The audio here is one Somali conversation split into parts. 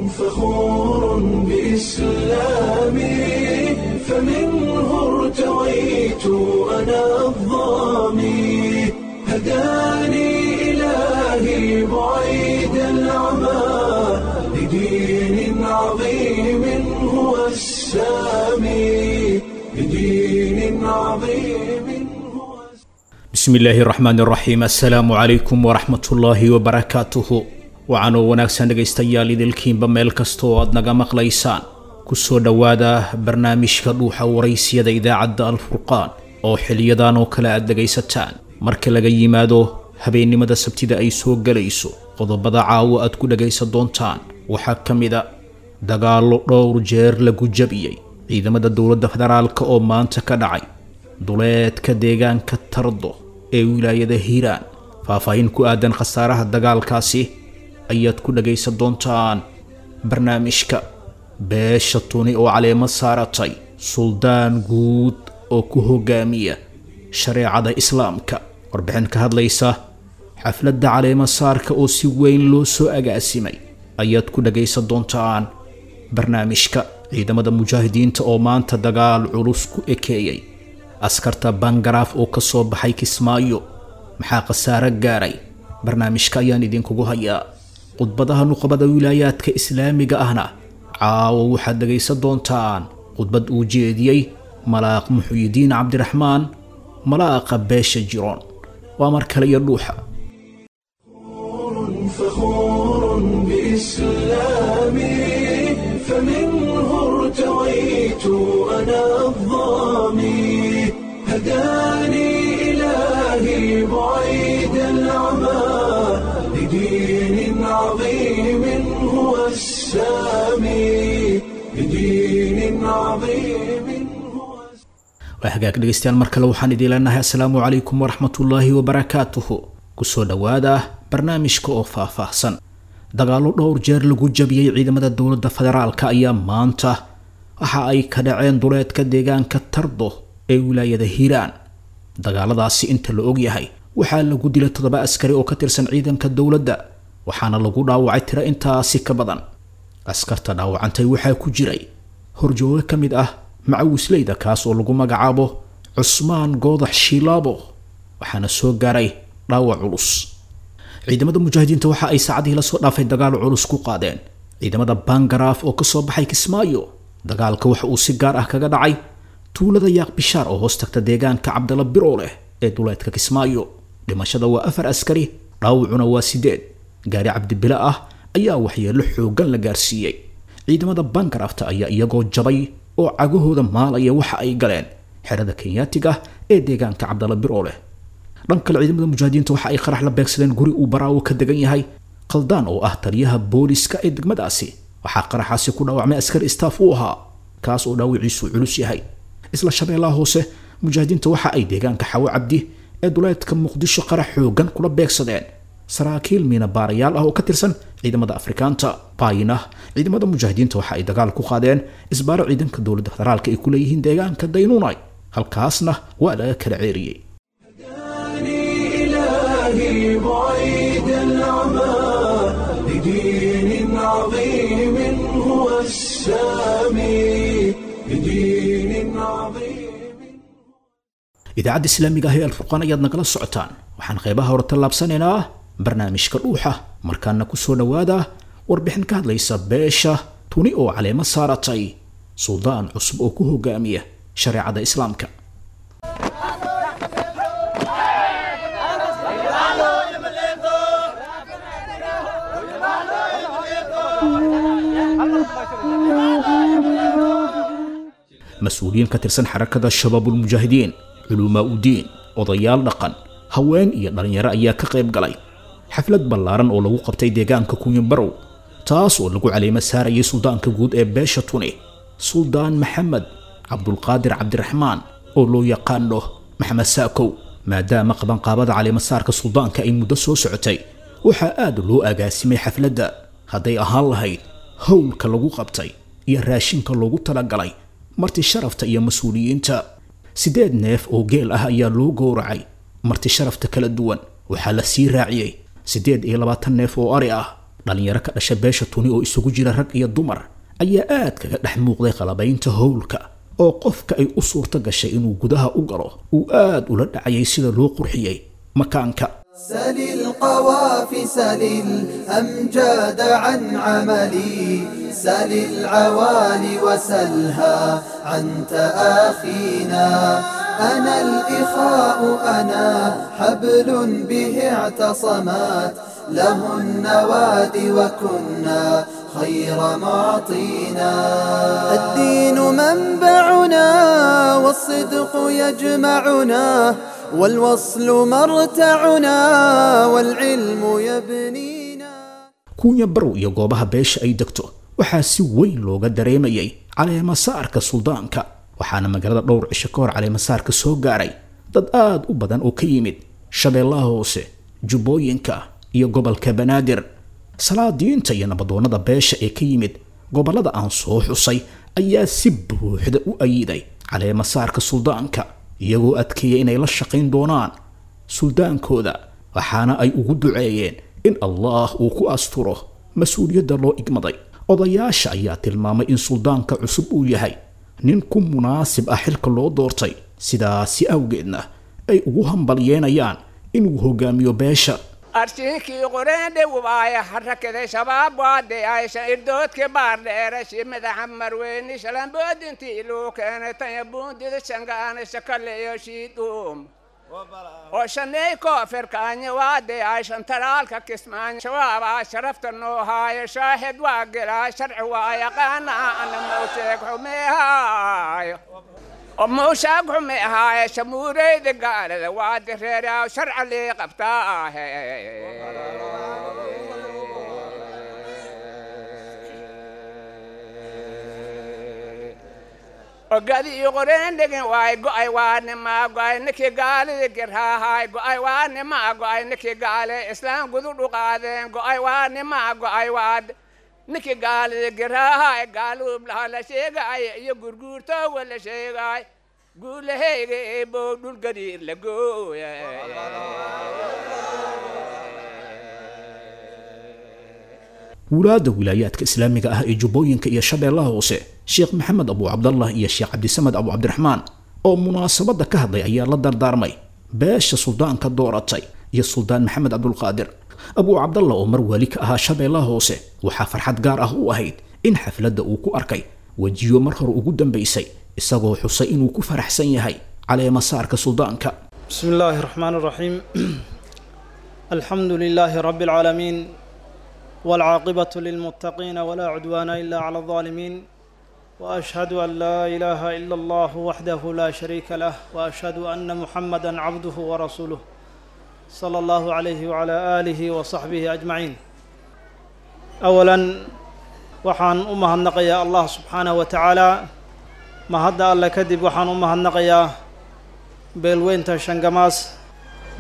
فخور بإسلامي، فمنه ارتويت أنا الظامي، هداني إلهي بعيد العمى لدين عظيم هو السامي، لدين عظيم هو. Bismi illaahi raxmaan raxiim, assalaamu calaykum waraxmatullaahi wabarakaatuhu. Waxaanoo wanaagsan dhegaystayaal idilkiinba meel kasta oo aad naga maqlaysaan, kusoo dhowaada barnaamijka Dhuuxa Waraysiyada idaacadda Alfurqaan oo xiliyadan oo kale aad dhegaysataan marka laga yimaado habeennimada Sabtida ay soo gelayso. Qodobada caawo aad ku dhagaysan doontaan waxaa ka mid a dagaallo dhowr jeer lagu jabiyey ciidamada dowladda federaalka oo maanta ka dhacay duleedka deegaanka Tardo ee wilaayada Hiiraan. Faahfaahin ku aadan khasaaraha dagaalkaasi ayaad ku dhagaysan doontaan barnaamijka. Beesha Tuni oo caleemo saaratay suldaan guud oo ku hogaamiya shareecada Islaamka. Warbixin ka hadlaysa xafladda caleemo saarka oo si weyn loo soo agaasimay ayaad ku dhagaysan doontaan barnaamijka. Ciidamada mujaahidiinta oo maanta dagaal culus ku ekeeyey askarta Bangaraaf oo ka soo baxay Kismaayo, maxaa khasaare gaaray? Barnaamijka ayaan idinkugu hayaa. Khudbadaha nuqbada wilaayaadka islaamiga ahna caawo waxaad dhegaysan doontaan khudbad uu jeediyey Malaaq Muxuyidiin Cabdiraxmaan, malaaqa beesha Jiroon. Waa mar kale iyo Dhuuxa. فخور بإسلامي، فمنه ارتويت أنا الظامي، هداني إلهي بعيد العمى لدين عظيم هو السامي، لدين عظيم هو. Waa hagaag dhegaystayaal, mar kale waxaan idiin leenahay assalaamu calaykum waraxmatullaahi wabarakaatuhu. Kusoo dhowaada barnaamijka oo faahfaahsan. Dagaallo dhowr jeer lagu jabiyey ciidamada dowladda federaalka ayaa maanta waxa ay ka dhaceen duleedka deegaanka Tardo ee wilaayada Hiiraan. Dagaaladaasi inta la ogyahay waxaa lagu dilay 7 askari oo ka tirsan ciidanka dowladda, waxaana lagu dhaawacay tiro intaasi ka badan. Askarta dhaawacantay waxaa ku jiray horjooge ka mid ah macawisleyda, kaas oo lagu magacaabo Cusmaan Goodax Shiilaabo, waxaana soo gaaray dhaawac culus. Ciidamada mujaahidiinta waxa ay saacadihii lasoo dhaafay dagaal culus ku qaadeen ciidamada Bangaraaf oo kasoo baxay Kismaayo. Dagaalka waxa uu si gaar ah kaga dhacay tuulada Yaaq Bishaar oo hoos tagta deegaanka Cabdala Birooleh ee duleedka Kismaayo. Dhimashada waa 4 askari, dhaawacuna waa 8. Gaari Cabdibile ah ayaa waxyeelo xoogan la gaarsiiyey. Ciidamada Bangaraafta ayaa iyagoo jabay oo cagahooda maalaya waxa ay galeen xerada Kenyaatiga ee deegaanka Cabdala Birooleh. Dhan kale, ciidamada mujaahidiinta waxa ay qarax la beegsadeen guri uu Baraawo ka degan yahay Qaldaan oo ah taliyaha booliska ee degmadaasi. Waxaa qaraxaasi ku dhaawacmay askari staff u ahaa, kaas oo dhaawiciisu culus yahay. Isla Shabeellaha Hoose, mujaahidiinta waxa ay deegaanka Xawo Cabdi ee duleedka Muqdisho qarax xoogan kula beegsadeen saraakiil miina baarayaal ah oo ka tirsan ciidamada Afrikaanta. Baayina, ciidamada mujaahidiinta waxa ay dagaal ku qaadeen isbaaro ciidanka dowladda federaalka ay ku leeyihiin deegaanka Daynuunay, halkaasna waa laga kala ceeriyey. هداني إلهي بعيد العمى لدين عظيم هو السامي، لدين عظيم. Idaacadda islaamiga ah ee Alfurqaan ayaad nagala socotaan. Waxaan qeybaha hore tallaabsanaynaa barnaamijka Dhuuxa, markaana kusoo dhowaada warbixin ka hadlaysa beesha Tuni oo caleemo saaratay suldaan cusub oo ku hogaamiya shareecada Islaamka. Mas-uuliyiin ka tirsan Xarakada Shabaabulmujaahidiin, culumaa udiin, odayaal dhaqan, haween iyo dhalinyaro ayaa ka qayb galay xaflad ballaaran oo lagu qabtay deegaanka Kunyambarow, taas oo lagu caleemo saarayay suldaanka guud ee beesha Tuni, Suldaan Maxamed Cabdulqaadir Cabdiraxmaan oo loo yaqaano Maxamed Saakow. Maadaama qabanqaabada caleemasaarka suldaanka ay muddo soo socotay, waxaa aad loo agaasimay xafladda, hadday ahaan lahayd howlka lagu qabtay iyo raashinka loogu talagalay marti sharafta iyo mas-uuliyiinta. 8 neef oo geel ah ayaa loo gowracay marti sharafta kala duwan. Waxaa la sii raaciyey 28 neef oo ari ah. Dhalinyaro ka dhasha beesha Tuni oo isugu jira rag iyo dumar ayaa aad kaga dhex muuqday qalabaynta howlka, oo qofka ay u suurto gashay inuu gudaha u galo uu aad ula dhacayay sida loo qurxiyey makaanka. سل القوافي سل الأمجاد عن عملي سل العوالي وسلها عن تآخينا أنا الإخاء أنا حبل به اعتصمت له النوادي وكنا خير معطينا الدين منبعنا والصدق يجمعنا والوصل مرتعنا والعلم يبنينا. Kuunya Barow iyo goobaha beesha ay degto waxaa si weyn looga dareemayay caleemasaarka suldaanka, waxaana magaalada dhowr cisho ka hor caleemasaarka soo gaaray dad aad u badan oo ka yimid Shabeellaha Hoose, Jubbooyinka iyo gobolka Banaadir. Salaadiinta iyo nabadoonnada beesha ee ka yimid gobollada aan soo xusay ayaa si buuxda u ayiday caleemasaarka suldaanka, iyagoo adkeeyay inay la shaqayn doonaan suldaankooda, waxaana ay ugu duceeyeen in Allah uu ku asturo mas-uuliyadda loo igmaday. Odayaasha ayaa tilmaamay in suldaanka cusub uu yahay nin ku munaasib ah xilka loo doortay, sidaasi awgeedna ay ugu hambalyeenayaan inuu hogaamiyo beesha. Arshinkii qoreendhe waaya harakaday shabaab waadheyaysha irdoodki baardheerashi madaxa marweyni shalamboodintii luu keenay tanya buundida shangaana shakaleyo shiidhuum oo shaney koofirkaanya waadheyayshan talaalka kismaanya shabaabaa sharafta noo haayo shaahid waa gelaa sharci waa yaqaana ana mawsheeg xumeehaayo وموشاق حمي هاي شموري دقالة وادي ريرا وشرع اللي قبطاه. وقال يغرين دقن واي قاي واني ما قاي نكي قال ذكرها هاي قاي واني ما قاي نكي قال اسلام قذور قادين قاي واني ما قاي واد نكي قال ذكرها هاي قالوا بلا لا شيء قاي يقرقور تو ولا شيء قاي قول هي بودو القدير لقويا. Wulaadda wilaayaadka islaamiga ah ee Jubbooyinka iyo Shabeellaha Hoose, Sheekh Maxamed Abu Cabdallah iyo Sheekh Cabdisamad Abu Cabdiraxmaan oo munaasabadda ka hadlay ayaa la dardaarmay beesha suldaanka dooratay iyo Suldaan Maxamed Cabdulqaadir. Abu Cabdallah oo mar wali ka ahaa Shabeellaha Hoose waxaa farxad gaar ah u ahayd in xafladda uu ku arkay wejiyo mar hore ugu dambaysay, isagoo xusay inuu ku faraxsan yahay caleemasaarka suldaanka. بسم الله الرحمن الرحيم، الحمد لله رب العالمين، والعاقبة للمتقين، ولا عدوان إلا على الظالمين، وأشهد أن لا إله إلا الله وحده لا شريك له، وأشهد أن محمدا عبده ورسوله صلى الله عليه وعلى آله وصحبه أجمعين. أولا waxaan u mahadnaqayaa Allah subxaanahu wa tacaala. Mahadda alle kadib waxaan u mahadnaqayaa beelweynta Shangamaas,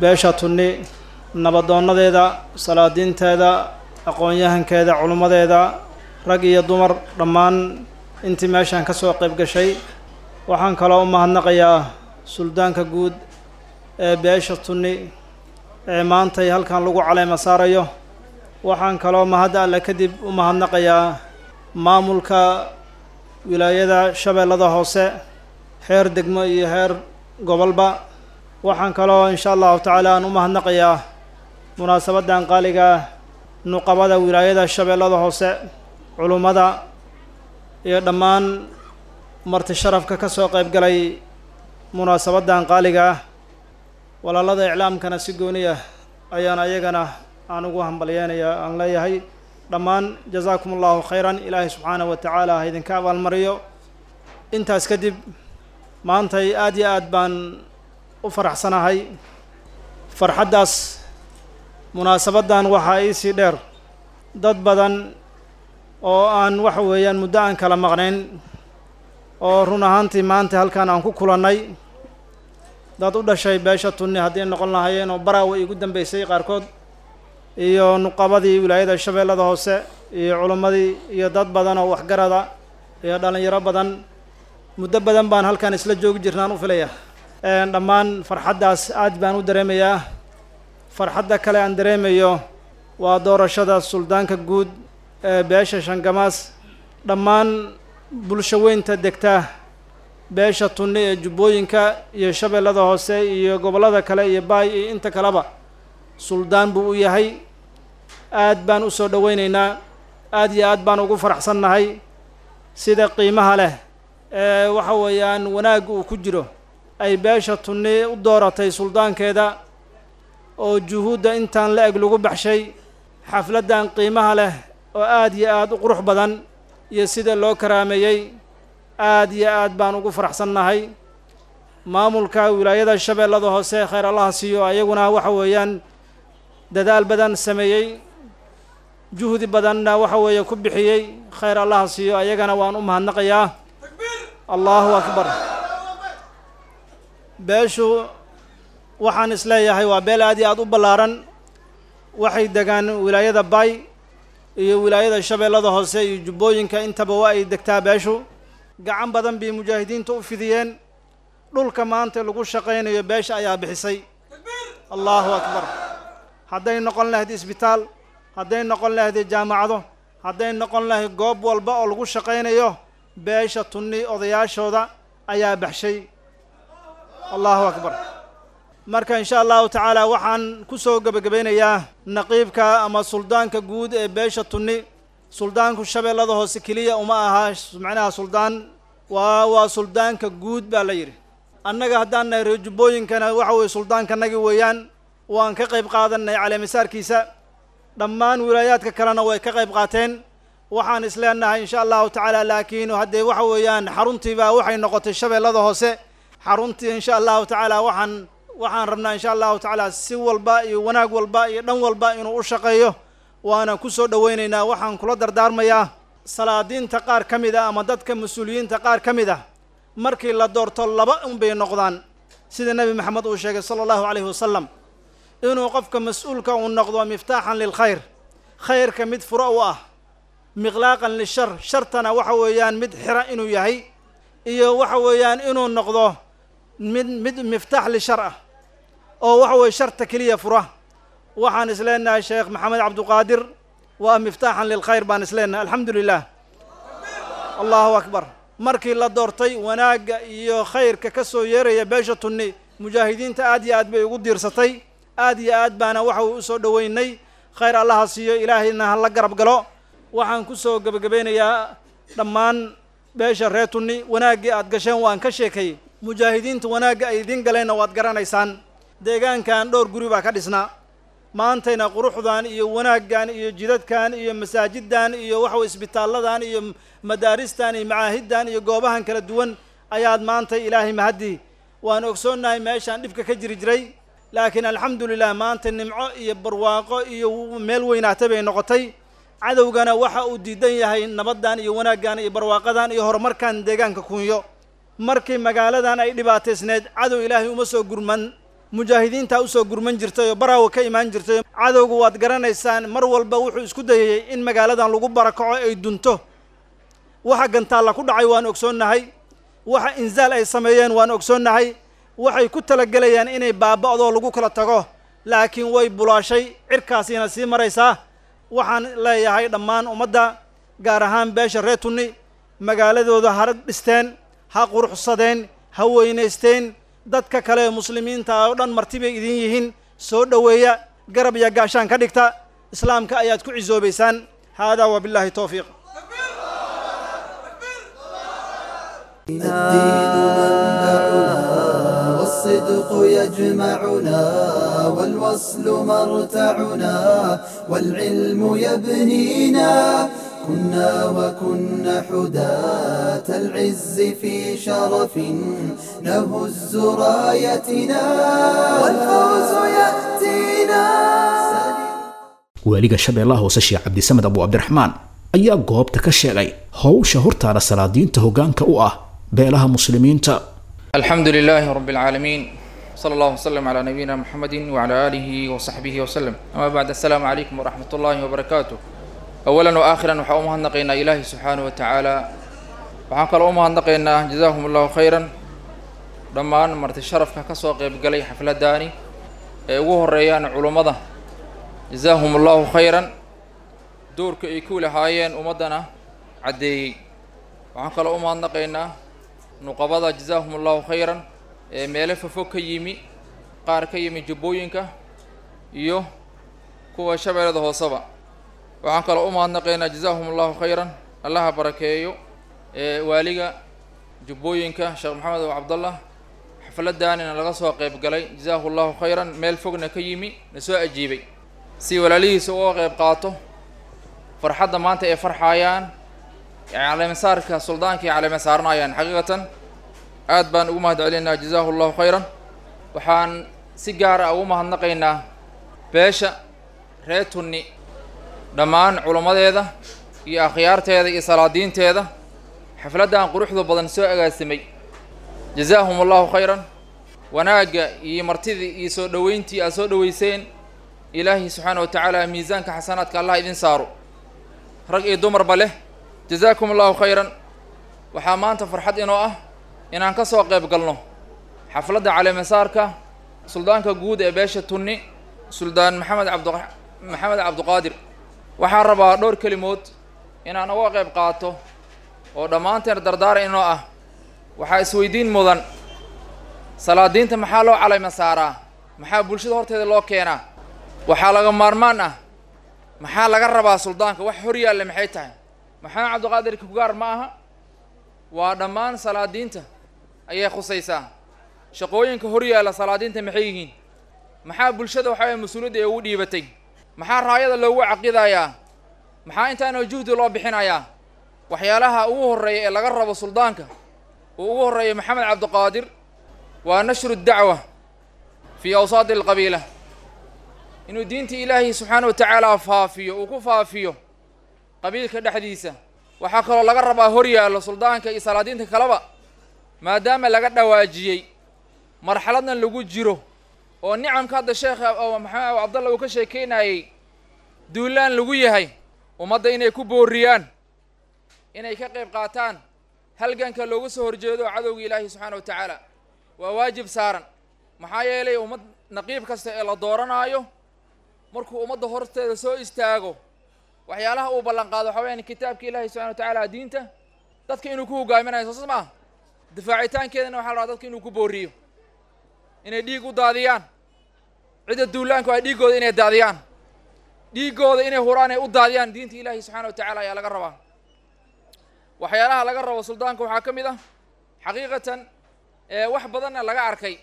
beesha Tunni, nabaddoonnadeeda, salaadiinteeda, aqoon-yahankeeda, culimmadeeda, rag iyo dumar, dhammaan intii meeshaan ka soo qayb gashay. Waxaan kaloo u mahadnaqayaa suldaanka guud ee beesha Tunni ee maantay halkan lagu caleema saarayo. Waxaan kaloo mahadda alle kadib u mahadnaqayaa maamulka wilaayada Shabeellada Hoose, heer degmo iyo heer gobolba. Waxaan kaloo insha allahu tacaala aan u mahadnaqayaa munaasabaddan qaaliga nuqabada wilaayada Shabeellada Hoose, culummada iyo dhammaan marti sharafka ka soo qayb galay munaasabaddan qaaliga ah. Walaalada iclaamkana si gooni ah ayaan ayagana aan ugu hambalyeenaya, aan leeyahay dhammaan jazaakum allahu khayran, Ilaahay subxaanahu wa tacaala ha idinka abaalmariyo. Intaas kadib maantay aad iyo aad baan u faraxsanahay. Farxaddaas munaasabaddan waxaa iisii dheer dad badan oo aan waxa weeyaan muddo aan kala maqnayn oo run ahaantii maanta halkan aan ku kulannay, dad u dhashay beesha Tunni haddii noqon lahaayeen oo baraawe igu dambeysay qaarkood, iyo nuqabadii wilaayada Shabeellada Hoose iyo culimmadii iyo dad badan oo waxgarada iyo dhallinyaro badan. Muddo badan baan halkan isla joogi jirnaan u filaya. Dhammaan farxaddaas aad baan u dareemayaa. Farxadda kale aan dareemayo Waa doorashada suldaanka guud ee beesha Shangamaas. Dhammaan bulsho weynta degta beesha Tunni ee Jubbooyinka iyo Shabeellada Hoose iyo gobollada kale iyo Baay iyo inta kaleba suldaan buu u yahay. Aad baan u soo dhoweynaynaa, aad iyo aad baan ugu faraxsannahay sida qiimaha leh ee waxa weeyaan wanaag uu ku jiro ay beesha Tunni u dooratay suldaankeeda, oo juhuudda intaan la eg lagu baxshay xafladdan qiimaha leh oo aad iyo aad u qurux badan iyo sida loo karaameeyey. Aad iyo aad baan ugu faraxsannahay. Maamulka wilaayada Shabeellada Hoose khayr Allaha siiyo, ayaguna waxa weeyaan dadaal badan sameeyey, juhdi badanna waxa weeye ku bixiyey, khayr Allaha siiyo, ayagana waan u mahadnaqayaa. Allahu akbar. Beeshu waxaan isleeyahay waa beel aad iyo aad u ballaaran. Waxay degaan wilaayada Baay iyo wilaayada Shabeellada Hoose iyo Jubbooyinka, intaba waa ay degtaa beeshu. Gacan badan bay mujaahidiinta u fidiyeen. Dhulka maanta lagu shaqaynayo beesha ayaa bixisay. Allahu akbar. Hadday noqon lahayd isbitaal, hadday noqon lahayd jaamacado, hadday noqon lahayd goob walba oo lagu shaqaynayo, beesha Tunni odayaashooda ayaa baxshay. Allahu akbar. Marka insha Allahu tacaala waxaan ku soo gebagabeynayaa naqiibka ama suldaanka guud ee beesha Tunni. Suldaanku Shabeellada Hoose keliya uma aha macnaha suldaan, waa suldaanka guud baa la yidhi. Annaga haddaan nahay reer Jubbooyinkana waxa weeye suldaankanagi weeyaan, waan ka qayb qaadanay caleemisaarkiisa. Dhammaan wilaayaadka kalena way ka qayb qaateen. Waxaan isleenahay insha Allahu tacaala, laakiin haddee waxa weeyaan xaruntiibaa waxay noqotay Shabeellada Hoose xaruntii. Insha Allahu tacaala waxaan rabnaa insha Allahu tacaala si walba iyo wanaag walba iyo dhan walba inuu u shaqeeyo, waana ku soo dhoweynaynaa. Waxaan kula dardaarmayaa salaadiinta qaar ka mid ah ama dadka mas-uuliyiinta qaar ka mid ah, markii la doorto laba unbay noqdaan, sida Nebi Maxamed uu sheegay sala Allahu calayhi wasalam, inuu qofka mas-uulka uu noqdo miftaaxan lilkhayr, khayrka mid furo u ah, miqlaaqan lishar, shartana waxa weeyaan mid xira inuu yahay, iyo waxa weeyaan inuu noqdo mid miftaax lishar ah oo waxa weeye sharta keliya fura. Waxaan isleenahay Sheekh Maxamed Cabduqaadir waa miftaaxan lilkhayr baan isleenahay. Alxamdu lilah, Allahu akbar. Markii la doortay, wanaagga iyo khayrka ka soo yeeraya beesha Tunni mujaahidiinta aad iyo aad bay ugu diirsatay, aad iyo aad baana waxa uu usoo dhoweynay. Khayr Allaha siiyo, Ilaahayna ha la garab galo. Waxaan ku soo gebagabeynayaa dhammaan beesha reer Tunni, wanaaggii aad gasheen waan ka sheekayey, mujaahidiinta wanaagga ay idiin galeenna waad garanaysaan. Deegaankan dhowr guri baa ka dhisnaa, maantayna quruxdan iyo wanaaggan iyo jidadkan iyo masaajiddan iyo waxa isbitaalladan iyo madaaristan iyo macaahiddan iyo goobahan kala duwan ayaad maanta Ilaahay mahaddii. Waan ogsoonnahay meeshaan dhibka ka jiri jiray, laakiin alxamdulilah maanta nimco iyo barwaaqo iyo meel weynaatay bay noqotay. Cadowgana waxa uu diidan yahay nabaddan iyo wanaaggan iyo barwaaqadan iyo horumarkan deegaanka Kunyo. Markii magaaladan ay dhibaataysneed, cadow Ilaahay uma soo gurman, mujaahidiintaa usoo gurman jirtay oo Baraawa ka imaan jirtay. Cadowgu waad garanaysaan, mar walba wuxuu isku dayayey in magaaladan lagu barakaco, ay dunto. Waxa gantaalla ku dhacay waan ogsoonnahay, waxa inzaal ay sameeyeen waan ogsoonnahay, waxay ku talagelayaan inay baaba'doo lagu kala tago, laakiin way bulaashay, cirkaasiina sii maraysaa. Waxaan leeyahay dhammaan ummadda, gaar ahaan beesha reer Tunni, magaaladooda ha dhisteen, ha quruxsadeen, ha weynaysteen. Dadka kale ee muslimiinta oo dhan marti bay idin yihiin, soo dhoweeya, garab iyo gaashaan ka dhigta, islaamka ayaad ku cisoobaysaan. Haadaa wabilaahi towfiiq. الدين منبعنا والصدق يجمعنا والوصل مرتعنا والعلم يبنينا، كنا وكنا حداة العز في شرف نهز رايتنا والفوز يأتينا. Waaliga Shabeellaha Hoose Sheekh Cabdisamed Abu Cabdiraxmaan ayaa goobta ka sheegay howsha hortaada salaadiinta hoggaanka u ah beelaha muslimiinta. الحمد لله رب العالمين، صلى الله وسلم على نبينا محمد وعلى آله وصحبه وسلم، أما بعد، السلام عليكم ورحمة الله وبركاته. أولا وآخرا waxaa u mahadnaqaynaa Ilaahi subxaanahu wa tacaala. Waxaan kaloo u mahadnaqaynaa, jazaahum Allahu khayran, dhammaan marti sharafka ka soo qaybgalay xafladdaani ee ugu horeeyaan culummada. Jazaahum allahu khayran. Doorka ay ku lahaayeen ummaddana caddeeyey. Waxaan kaloo u mahadnaqaynaa nuqabada, jazaahum allahu khayran, ee meelo fofog ka yimi, qaar ka yimi jubbooyinka iyo kuwa shabeellada hooseba. Waxaan kaloo u mahadnaqaynaa, jazaahum allahu khayran, Allaha barakeeyo, ee waaliga jubbooyinka Sheekh Maxamed Abu Cabdallah, xafladdaanina laga soo qayb galay, jazaahu allahu khayran, meel fogna ka yimi, na soo ajiibay si walaalihiisa uga qayb qaato farxadda maanta ay farxayaan, caleemasaarka suldaanka ay caleema saaranayaan. Xaqiiqatan aad baan ugu mahad celinaynaa, jazaahu allahu khayran. Waxaan si gaar ah ugu mahadnaqaynaa beesha reer Tunni dhammaan culammadeeda iyo akhyaarteeda iyo salaadiinteeda xafladdan quruxda badan soo agaasimay, jazaahum allahu khayran. Wanaagga iyo martidii iyo soo dhoweyntii aad soo dhoweyseen, Ilaahay subxaana wa tacaala miisaanka xasanaadka Allah idin saaro, rag iyo dumarba leh, jazaakum allahu khayran. Waxaa maanta farxad inoo ah inaan ka soo qayb galno xafladda caleemasaarka suldaanka guud ee beesha Tunni, Suldaan Maxamed Cabdu Maxamed Cabduqaadir. Waxaan rabaa dhowr kelimood inaan uga qayb qaato oo dhammaanteen dardaara inoo ah. Waxaa isweydiin mudan, salaadiinta maxaa loo caleyma saaraa? Maxaa bulshada horteeda loo keenaa? Waxaa laga maarmaan ah, maxaa laga rabaa suldaanka? Wax hor yaalla maxay tahay? Maxamed Cabdiqaadir kugaar ma aha, waa dhammaan salaadiinta ayay khusaysaa. Shaqooyinka hor yaalla salaadiinta maxay yihiin? Maxaa bulshada waxaa mas-uuliyadda ay ugu dhiibatay? Maxaa raayada loogu caqidayaa? Maxaa intaana juhdi loo bixinayaa? Waxyaalaha ugu horreeya ee laga rabo suldaanka uu ugu horreeya Maxamed Cabdiqaadir waa nashru dacwa fii awsaati alqabiila, inuu diinta Ilaahay subxaana wa tacaala faafiyo, uu ku faafiyo qabiilka dhexdiisa. Waxaa kaloo laga rabaa hor yaallo suldaanka iyo salaadiinta kaleba, maadaama laga dhawaajiyey marxaladnan lagu jiro oo nicamka hadda sheekha Maxamed Abu Cabdallah uu ka sheekeynayey duulaan lagu yahay ummadda, inay ku booriyaan inay ka qayb qaataan halganka looga soo horjeedo cadowga Ilaahay subxaana wa tacaala. Waa waajib saaran, maxaa yeelay ummad naqiib kasta ee la dooranaayo markuu ummadda horteeda soo istaago waxyaalaha uu ballan qaado waxaa weyaan kitaabka Ilaahay subxana wa tacaala, diinta dadka inuu ku hogaaminayo, soo saas ma ah? Difaacitaankeedana waxaa la rabaa dadka inuu ku booriyo inay dhiig u daadiyaan cidda duulaanku ay dhiiggooda inay daadiyaan, dhiiggooda inay huraan ay u daadiyaan diinta Ilaahay subxaana wa tacaala ayaa laga rabaa. Waxyaalaha laga rabo suldaanka waxaa ka mid ah, xaqiiqatan wax badanna laga arkay,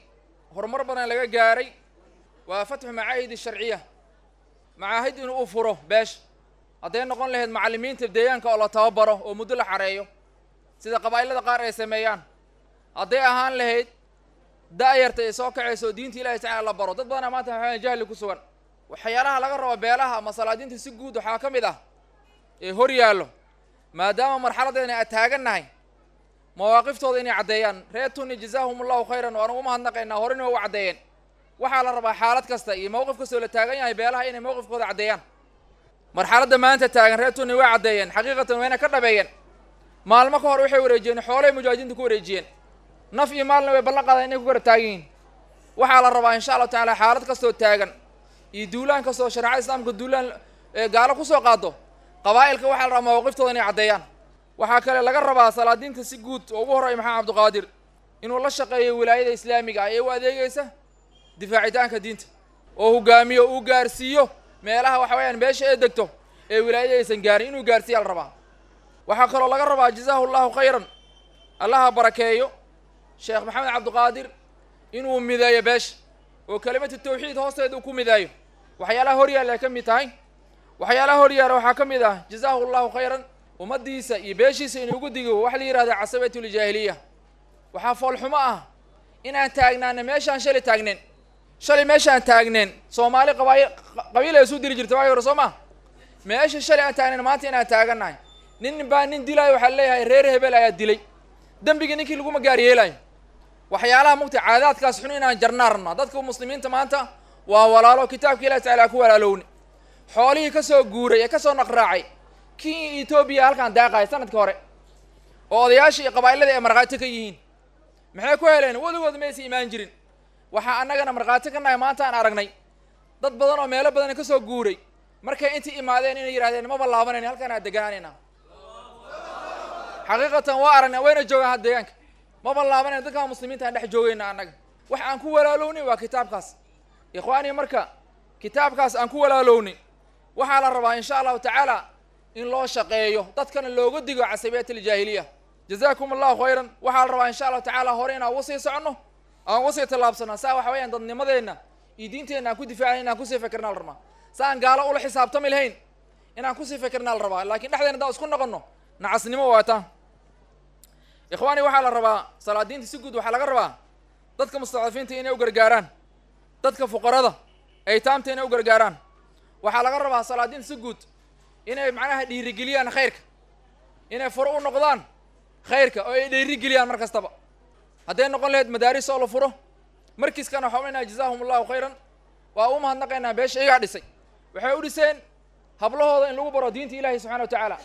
horumar badanna laga gaaray, waa fatxu macaahid sharciya, macaahid inuu u furo beesha, hadday noqon lahayd macallimiinta deegaanka oo la tababaro oo muddo la xareeyo sida qabaa'ilada qaar ay sameeyaan, hadday ahaan lahayd da'yarta ay soo kacayso oo diinta Ilahi tacala la baro. Dad badanaa maanta waxaa jahli ku sugan. Waxyaalaha laga rabo beelaha ama salaadiinta si guud waxaa ka mid ah ee hor yaallo, maadaama marxaladeena aad taagannahay, mawaaqiftooda inay caddeeyaan. Reer Tunni jazaahum allahu khayran, waan ugu mahadnaqaynaa, horena waa u caddeeyeen. Waxaa la rabaa xaalad kasta iyo mowqif kastoo la taagan yahay beelaha inay mowqifkooda caddeeyaan. Marxaladda maanta taagan reer Tunni way caddeeyeen, xaqiiqatan wayna ka dhabeeyeen. Maalmo ka hor waxay wareejiyeen xoolay mujaahidiinta ku wareejiyeen, naf iyo maalna way ballan qaadeen inay ku garab taagan yihiin. Waxaa la rabaa insha allahu tacaala xaalad kastoo taagan iyo duulaan kastoo shareecada islaamka duulaan gaalo kusoo qaado, qabaa'ilka waxaa la rabaa mawaaqiftooda inay caddeeyaan. Waxaa kale laga rabaa salaadiinta si guud oo ugu horreeya Maxamed Cabdiqaadir inuu la shaqeeyo wilaayada islaamiga ah ee u adeegaysa difaacitaanka diinta, oo hogaamiyo, uu gaarsiiyo meelaha waxa weeyaan beesha ee degto ee wilaayada aysan gaarin inuu gaarsiiya la rabaa. Waxaa kaloo laga rabaa, jazaahu allahu khayran, Allaha barakeeyo, Sheekh Maxamed Cabdiqaadir inuu mideeyo beesha oo kelimatu tawxiid hoosteeda uu ku mideeyo. Waxyaalaha hor yaalla ay ka mid tahay. Waxyaalaha hor yaalla waxaa ka mid ah, jazaahu allahu khayran, ummaddiisa iyo beeshiisa inuu ugu digo waxa la yidhahda casabatuljaahiliya. Waxaa foolxumo ah inaan taagnaana meeshaan shalay taagneen, shalay meeshaan taagneen Soomaali qabaayil qabiil ay isu diri jirta waagi hore, soo ma? Meesha shalay aan taagnayn maanta inaan taagannahay, nin baa nin dilaayo, waxaa leeyahay reer hebel ayaa dilay, dembigii ninkii laguma gaar yeelayo. Waxyaalaha mugta caadaadkaas xun inaan jarnaa rabnaa. Dadka muslimiinta maanta waa walaalo, kitaabka Ilahi tacala ku walaalowni. Xoolihii ka soo guuray ee ka soo naqraacay kii Etoobiya halkaan daaqaya sanadkii hore oo odayaashii iyo qabaa'ilada ay markhaati ka yihiin, maxay ku heleen? Weligood maysa imaan jirin. Waxaa annagana markhaati ka nahay maanta aan aragnay Dad badan oo meelo badan ka soo guuray markay intii imaadeen inay yidhahdeen maba laabanayna, halkaan aan deganaanayna. Xaqiiqatan waa aragnaa, wayna joogaan had deegaanka, maba laabanayna, dadkaan muslimiinta aan dhex joogayna annaga. Wax aan ku walaalownay waa kitaabkaas, ikhwaanii. Marka kitaabkaas aan ku walaalownay waxaa la rabaa insha allahu tacaala in loo shaqeeyo, dadkana looga digo casabiyat aljaahiliya. Jazaakum allahu khayran. Waxaa la rabaa insha allahu tacaala hore inaan uga sii soconno, aan uga sii tallaabsano, saa waxa weeyaan dadnimadeenna iyo diinteenna aan ku difaacnay inaan kusii fikirnaa la rabaa, sa aan gaalo ula xisaabtami lahayn inaan kusii fikirnaa la rabaa. Laakiin dhexdeena haddaan isku noqonno nacasnimo waa taa, ikhwaani. Waxaa la rabaa salaadiinta si guud, waxaa laga rabaa dadka mustadcafiinta inay u gargaaraan, dadka fuqarada aytaamta inay u gargaaraan. Waxaa laga rabaa salaadiinta si guud inay macnaha dhiirigeliyaan khayrka, inay furo u noqdaan khayrka oo ay dhiirigeliyaan mar kastaba, hadday noqon lahayd madaaris oo la furo. Markiiskana waxaa unaynaa jazaahum allahu khayran, waa u mahadnaqaynaa beesha iyagaa dhisay. Waxay u dhiseen hablahooda in lagu baro diinta ilaahi subxana wa tacaala.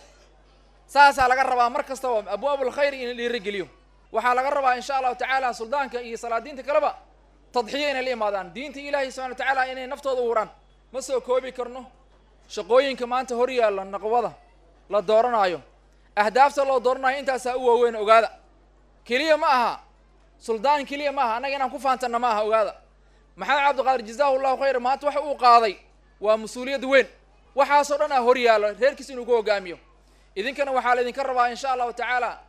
Saasaa laga rabaa mar kastaba abwaabul khayr in la dhiirigeliyo. Waxaa laga rabaa insha allahu tacaala suldaanka iyo salaadiinta kaleba tadxiya inay la imaadaan, diinta ilaahi subxana wa tacaala inay naftooda u huraan. Ma soo koobi karno shaqooyinka maanta hor yaalla naqwada la dooranaayo, ahdaafta loo dooranayo intaasaa u waaweyn. Ogaada, keliya ma aha suldaan, keliya ma aha annaga inaan ku faantanna ma aha. Ogaada, Maxamed Cabdiqaadir jazaahu allahu khayr maanta waxa uu qaaday waa mas-uuliyad weyn. Waxaasoo dhan aa hor yaallo reerkiis inuu ku hogaamiyo. Idinkana waxaa laydinka rabaa insha allahu tacaala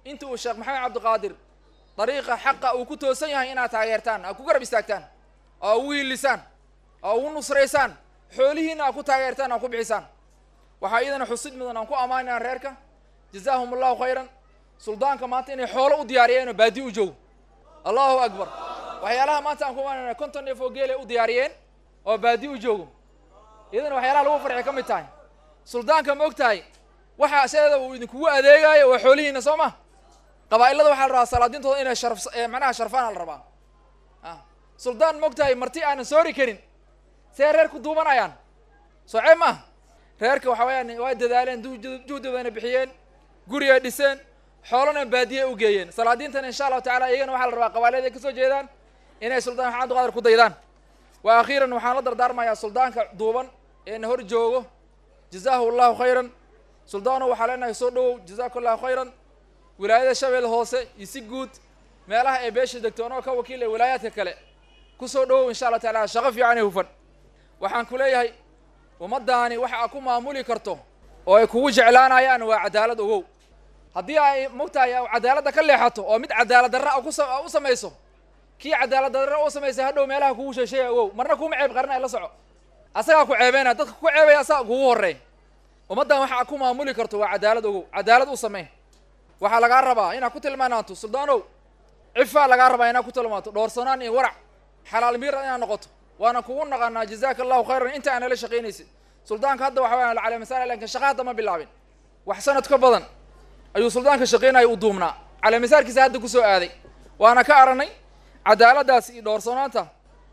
inta uu Sheekh Maxamed Cabdiqaadir dariiqa xaqa uu ku toosan yahay inaad taageertaan, aad ku garab istaagtaan, oo ugu hiilisaan, oo ugu nusraysaan, xoolihiina aad ku taageertaan, aad ku bixisaan. Waxaa iyadana xusid mudan aan ku ammaanayaan reerka jazaahum allahu khayran suldaanka maanta inay xoolo u diyaariyeen oo baadi u joogo. Allahu akbar. Waxyaalaha maanta aan ku ammaanayna 50 neef oo geelay u diyaariyeen oo baadi u joogo, iyadana waxyaalaha lagu farxi ka mid tahay. Suldaanka ma og tahay waxa sideeda uu idinkugu adeegaayo waa xoolihiina, soo ma? Qabaa'ilada waxaa la rabaa salaadiintooda inay sharaf, macnaha sharfaan la rabaa. Suldaan ma og tahay marti aanan soori karin see reer ku duubanayaan? Soo ceeb maaha. Reerka waxa weeyaan waa dadaaleen, juhdi badana bixiyeen, gurigay dhiseen, xoolana baadiye u geeyeen. Salaadiintana insha allahu tacala iyagana waxaa la rabaa qabailada ay kasoo jeedaan inay Suldaan Maxamed Cabdiqaadir ku daydaan. Wa akhiiran waxaan la dardaarmayaa suldaanka duuban ee na hor joogo, jazaahu allahu khayran. Suldaano waxaa leenahay soo dhowow, jazaaku allahu khayran. Wilaayada Shabeelle Hoose iyo si guud meelaha ay beesha degto anoo ka wakiil ee wilaayaadka kale kusoo dhowow insha allah tacaala. Shaqo fiican ee hufan waxaan ku leeyahay, ummaddaani waxa aad ku maamuli karto oo ay kugu jeclaanayaan waa cadaalad. Ogow, haddii ay mogtahay cadaaladda ka leexato oo mid cadaalad darra u samayso, kii cadaalad darra u samaysay hadhow meelaha kugu sheesheeya. Ogow, marna kuma ceeb qarinaya, la soco, asagaa ku ceebeynaya, dadka ku ceebaya asagaa kugu horreey. Ummaddan waxa aad ku maamuli karto waa cadaalad. Ogow, cadaalad u samey. Waxaa lagaa rabaa inaad ku tilmaanaato, suldaanow, cifaa lagaa rabaa inaad ku tilmaanto, dhoorsanaan iyo warac, xalaal miira inaad noqoto, waana kugu naqanaa. Jazaaka allahu khayran inta aan nala shaqaynaysid. Suldaanka hadda waxa weeyaan caleemasaar, laakiin shaqa hadda ma bilaabin. Wax sanad ka badan ayuu suldaanka shaqaynaya u duubnaa, caleemasaarkiisa hadda kusoo aaday, waana ka aragnay cadaaladdaas iyo dhoorsanaanta.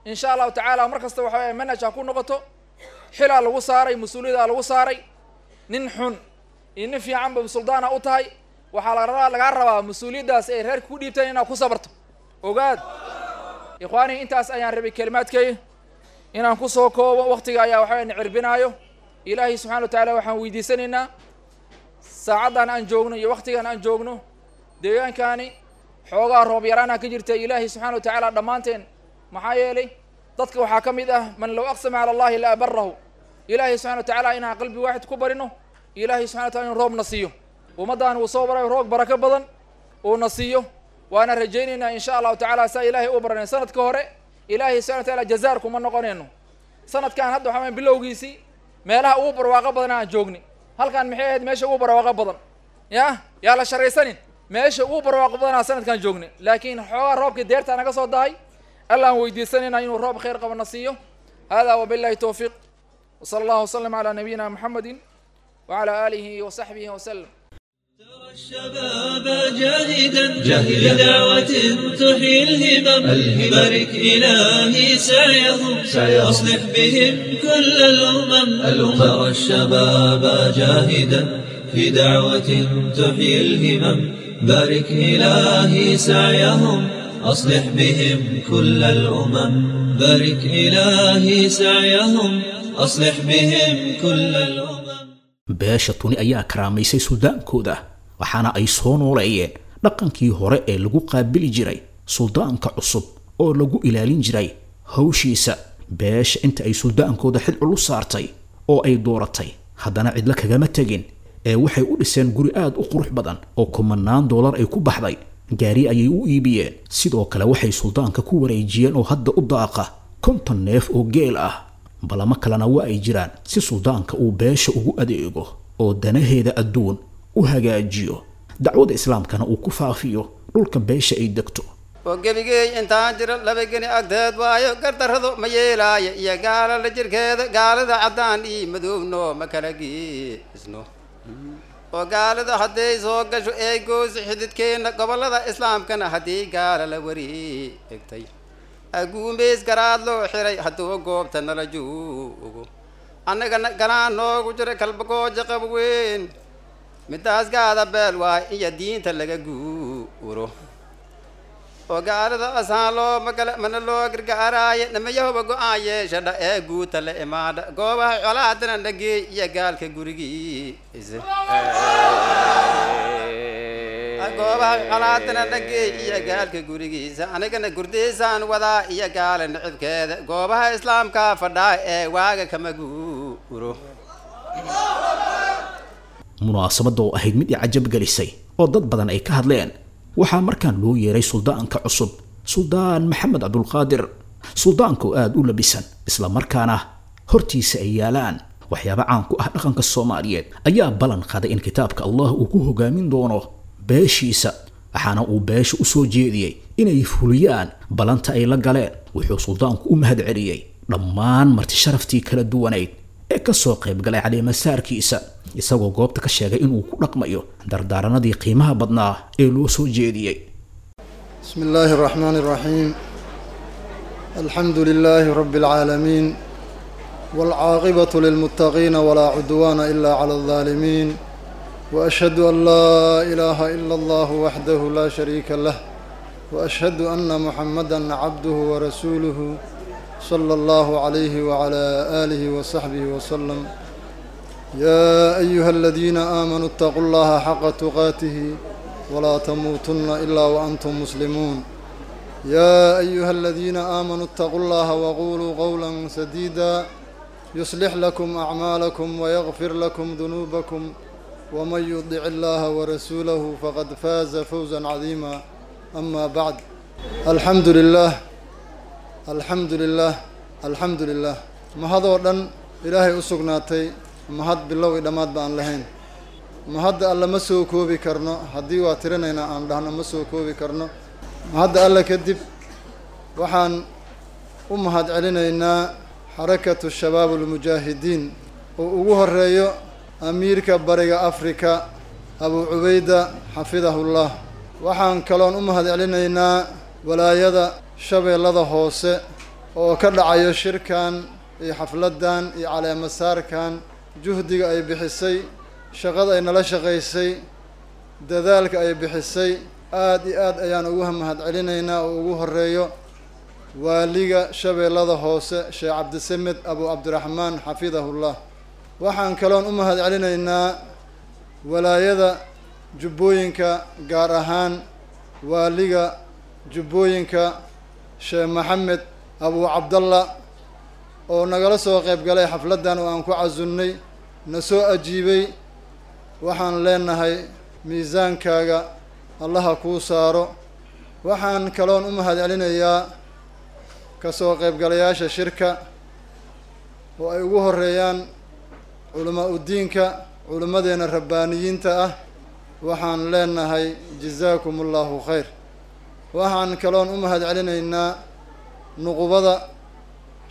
Insha allahu tacaala mar kasta waxa weya manhaj ha ku noqoto. Xilaa lagu saaray, mas-uuliyada lagu saaray, nin xun iyo nin fiicanba suldaana u tahay. Waxaa lagaa rabaa mas-uuliyaddaas ay reerka ku dhiibteen inaad ku sabarto. Ogaad ikhwaanii, intaas ayaan rabay kelimaadkay inaan kusoo koobo. Waktiga ayaa waxaa na cirbinaayo. Ilaahay subxana wa tacaala waxaan weydiisanaynaa saacaddan aan joogno iyo waktigan aan joogno deegaankaani xoogaa roob yaraana ka jirta. Ilaahay subxana wa tacaala dhammaanteen, maxaa yeelay dadka waxaa ka mid ah man low aqsama cala allahi la abarahu. Ilaahay subxana wa tacaala inaan qalbi waaxid ku barino, ilaahay subxana wa taala inu roobna siiyo, ummaddan uu soo baray roog barako badan uuna siiyo, waana rajaynaynaa insha allahu tacaala. Saa ilaahay u baranay sanadka hore, ilaahay subxana wa taala jazaar kuma noqonayno. Sanadkan hadda waxaa bilowgiisii meelaha ugu barwaaqo badan aan joogni halkan maxay ahayd? Meesha ugu barwaaqo badan ya yaa la sharaysanin, meesha ugu barwaaqo badanaa sanadkan joogni, laakiin xoogaa roobkii deertaa naga soo dahay. Allaan weydiisanayna inuu roob khayr qaba na siiyo. Hada wabillahi towfiiq, wsala allahu wasalam calaa nabiyina muxamedi wacala aalihi wasaxbihi wasalam. الشباب جاهدا بدعوة تحيي الهمم، بارك إلهي سعيهم أصلح بهم كل الأمم. ترى الشباب جاهدا في دعوة تحيي الهمم، بارك إلهي سعيهم أصلح بهم كل الأمم بارك إلهي سعيهم أصلح بهم كل الأمم. Beesha Tuni ayaa karaamaysay suldaankooda, waxaana ay soo nooleeyeen dhaqankii hore ee lagu qaabili jiray suldaanka cusub oo lagu ilaalin jiray hawshiisa. Beesha inta ay suldaankooda xil culus saartay oo ay dooratay, haddana cidla kagama tegin ee waxay u dhiseen guri aad u qurux badan oo kumanaan doolar ay ku baxday, gaari ayay u iibiyeen. Sidoo kale waxay suldaanka ku wareejiyeen oo hadda u daaqa 50 neef oo geel ah. Balamo kalena waa ay jiraan si suldaanka uu beesha ugu adeego oo danaheeda adduun u hagaajiyo, dacwada islaamkana uu ku faafiyo dhulka beesha ay degto. Oo gebigey intaan jiro laba geni agteed waayo gardarradu ma yeelaayo iyo gaalala jirkeeda gaalada caddaan ii madoobno ma kala geesno oo gaalada hadday soo gasho ee goosi xididkeenna gobollada islaamkana haddii gaala la wareegtay aguumeys garaad loo xiray hadduu goobta nala joogo annagana galaan noogu jira kalbagooja qab weyn midaas gaada beel waay iyo diinta laga guuro oo gaalada asaan loo magala mana loo gargaaraaye namayahoba go-aan yeeshadha ee guuta la imaadha goobaha colaadana nageey iyo gaalka gurigiisa goobaha colaadana nageey iyo gaalka gurigiisa anigana gurdiisaan wadaa iyo gaala nicibkeeda goobaha islaamka fadhaa ee waaga kama guuro. Munaasabadda oo ahayd mid i cajab gelisay oo dad badan ay ka hadleen, waxaa markaan loo yeeray suldaanka cusub, Suldaan Maxamed Cabdulqaadir. Suldaanka oo aada u labisan isla markaana hortiisa ay yaalaan waxyaaba caan ku ah dhaqanka Soomaaliyeed ayaa ballan qaaday in kitaabka Allah uu ku hogaamin doono beeshiisa, waxaana uu beesha u soo jeediyey inay fuliyaan ballanta ay la galeen. Wuxuu suldaanku u mahad celiyey dhammaan marti sharaftii kala duwanayd ee ka soo qayb galay caleemasaarkiisa, isagoo goobta ka sheegay inuu ku dhaqmayo dardaaranadii qiimaha badnaa ee loo soo jeediyey. بسم الله الرحمن الرحيم. الحمد لله رب العالمين، والعاقبة للمتقين، ولا عدوان إلا على الظالمين، وأشهد أن لا إله إلا الله وحده لا شريك له، وأشهد أن محمدا عبده ورسوله صلى الله عليه وعلى آله وصحبه وسلم. يا أيها الذين آمنوا اتقوا الله حق تقاته ولا تموتن إلا وأنتم مسلمون. يا أيها الذين آمنوا اتقوا الله وقولوا قولا سديدا يصلح لكم أعمالكم ويغفر لكم ذنوبكم، ومن يطع الله ورسوله فقد فاز فوزا عظيما. أما بعد، الحمد لله، الحمد لله، الحمد لله. ما هذا dhan Ilaahay u sugnaatay, mahad bilow iyo dhammaad ba aan lahayn. Mahadda Alle ma soo koobi karno, haddii waa tirinaynaa aan dhahno ma soo koobi karno. Mahadda Alle kadib waxaan u mahad celinaynaa Xarakatu Shabaab Almujaahidiin oo ugu horeeyo amiirka Bariga Afrika Abu Cubayda xafidahullah. Waxaan kaloon u mahad celinaynaa walaayada Shabeellada Hoose oo ka dhacayo shirkan iyo xafladdan iyo caleemasaarkan, juhdiga ay bixisay, shaqada ay nala shaqaysay, dadaalka ay bixisay, aad iyo aad ayaan ugu mahad celinaynaa, oo ugu horeeyo waaliga Shabeellada Hoose Sheekh Cabdisamed Abu Cabdiraxmaan xafidahullah. Waxaan kaloon u mahad celinaynaa walaayada Jubbooyinka, gaar ahaan waaliga Jubbooyinka Sheekh Maxamed Abu Cabdalla oo nagala soo qayb galay xafladdan oo aan ku casunnay, na soo ajiibay. Waxaan leenahay miisaankaaga Allaha kuu saaro. Waxaan kaloon u mahad celinayaa ka soo qaybgalayaasha shirka oo ay ugu horeeyaan culamaa udiinka, culimmadeena rabbaaniyiinta ah. Waxaan leenahay jazaakum allahu khayr. Waxaan kaloon u mahad celinaynaa nuqubada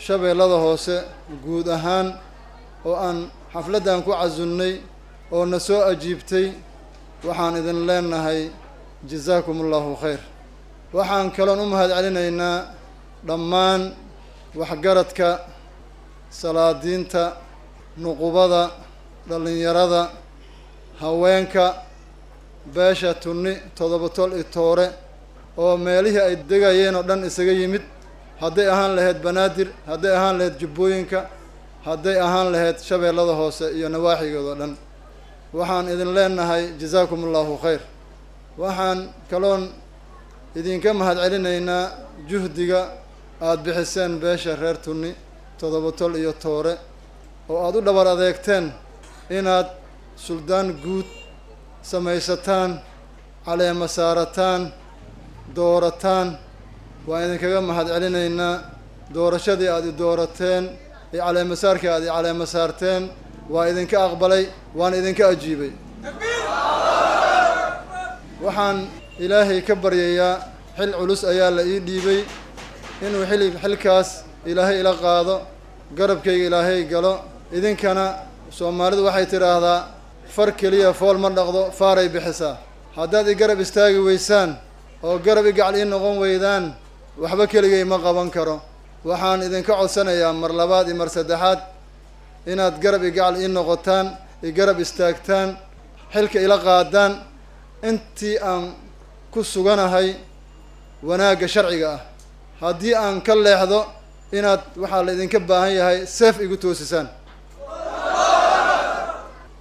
Shabeellada Hoose guud ahaan oo aan xafladdan ku casunnay oo na soo ajiibtay. Waxaan idin leenahay jazaakum allahu khayr. Waxaan kaloon u mahad celinaynaa dhammaan waxgaradka, salaadiinta, nuqubada, dhallinyarada, haweenka beesha Tunni Toddoba Tol iyo Toore. oo meelihii ay degayeen oo dhan isaga yimid, hadday ahaan lahayd Banaadir, hadday ahaan lahayd Jubbooyinka, hadday ahaan lahayd Shabeellada Hoose iyo nawaaxigeeda oo dhan. Waxaan idin leenahay jazaakum allahu khayr. Waxaan kaloon idinka mahadcelinaynaa juhdiga aada bixiseen beesha reer Tunni Toddoba Tol iyo Toore, oo aada u dhabar adeegteen inaad suldaan guud samaysataan, caleema saarataan, doorataan. Waan idinkaga mahadcelinaynaa doorashadii aada i doorateen iyo caleemasaarkii aada i caleema saarteen. Waa idinka aqbalay, waan idinka ajiibay. Waxaan Ilaahay ka baryayaa, xil culus ayaa la ii dhiibay, inuu xili xilkaas Ilaahay ila qaado, garabkayga Ilaahay galo. Idinkana Soomaalidu waxay tidhaahdaa far keliya fool ma dhaqdo, faaray bixisaa. Haddaad i garab istaagi weysaan oo garab i gacal ii noqon weydaan, waxba keligay ma qaban karo. Waxaan idinka codsanayaa mar labaad iyo mar saddexaad inaad garab i gacal ii noqotaan, i garab istaagtaan, xilka ila qaadaan intii aan ku suganahay wanaagga sharciga ah. Haddii aan ka leexdo, inaad waxaa la idinka baahan yahay seef igu toosisaan.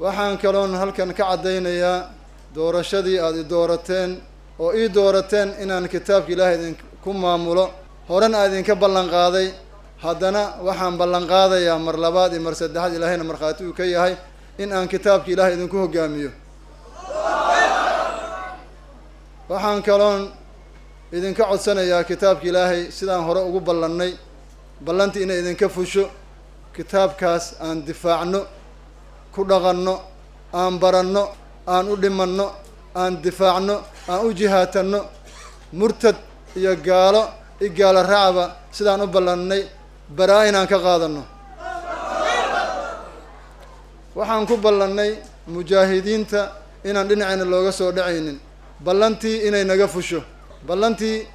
Waxaan kaloon halkan ka caddaynayaa doorashadii aada i doorateen oo ii doorateen inaan kitaabka Ilaahay idinku maamulo, horena aan idinka ballan qaaday. Haddana waxaan ballan qaadayaa mar labaad iyo mar saddexaad, Ilaahayna markhaati uu ka yahay, in aan kitaabka Ilaahay idinku hoggaamiyo. Waxaan kaloon idinka codsanayaa kitaabka Ilaahay sidaan hore ugu ballannay, ballantii inay idinka fusho, kitaabkaas aan difaacno, ku dhaqanno, aan baranno, aan u dhimanno, aan difaacno, aan u jihaatanno. Murtad iyo gaalo i gaalo raacba sidaan u ballannay baraa inaan ka qaadanno. Waxaan ku ballannay mujaahidiinta inaan dhinacayna looga soo dhacaynin, ballantii inay naga fusho, ballantii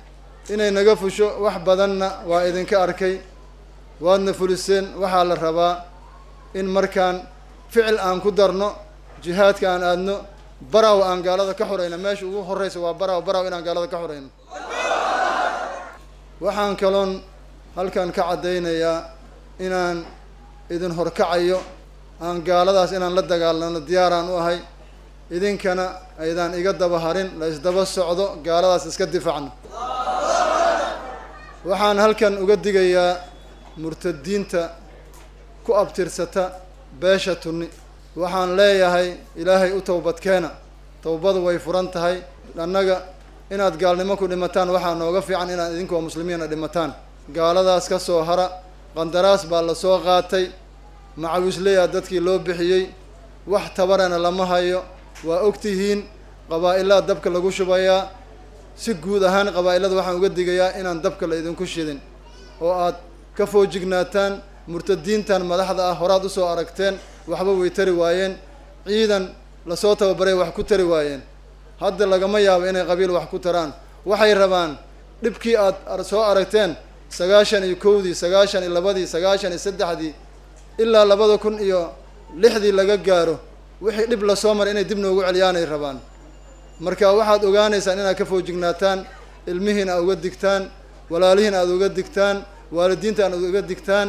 inay naga fusho. Wax badanna waa idinka arkay, waadna fuliseen. Waxaa la rabaa in markaan ficil aan ku darno, jihaadka aan aadno, Baraw aan gaalada ka xorayno. Meesha ugu horreysa waa Baraw, Baraw inaan gaalada ka xorayno. Waxaan kaloon halkan ka caddaynayaa inaan idin horkacayo, aan gaaladaas inaan la dagaalano diyaaraan u ahay, idinkana aydaan iga daba harin, la isdaba socdo, gaaladaas iska difaacno. Waxaan halkan uga digayaa murtadiinta ku abtirsata beesha Tunni. Waxaan leeyahay Ilaahay u towbadkeena, towbadu way furan tahay. Annaga inaad gaalnimo ku dhimataan waxaa nooga fiican inaad idinkoo muslimiina dhimataan. Gaaladaas ka soo hara, qandaraas baa la soo qaatay, macawisleyaa dadkii loo bixiyey, wax tabarana lama hayo. Waa ogtihiin qabaa-ilaa dabka lagu shubayaa. Si guud ahaan qabaa-ilada waxaan uga digayaa inaan dabka la idinku shidin oo aad ka foojignaataan murtadiintan madaxda ah. Horaad usoo aragteen, waxba way tari waayeen, ciidan lasoo tababaray wax ku tari waayeen, hadda lagama yaabo inay qabiil wax ku taraan. Waxay rabaan dhibkii aad soo aragteen 91-dii, 92-dii, 93-dii ilaa 2006-dii laga gaaro, wixii dhib lasoo maray inay dib noogu celiyaanay rabaan. Marka waxaad ogaanaysaan inaad ka foojignaataan, ilmihiin aad uga digtaan, walaalihiin aad uga digtaan, waalidiinta aad uga digtaan,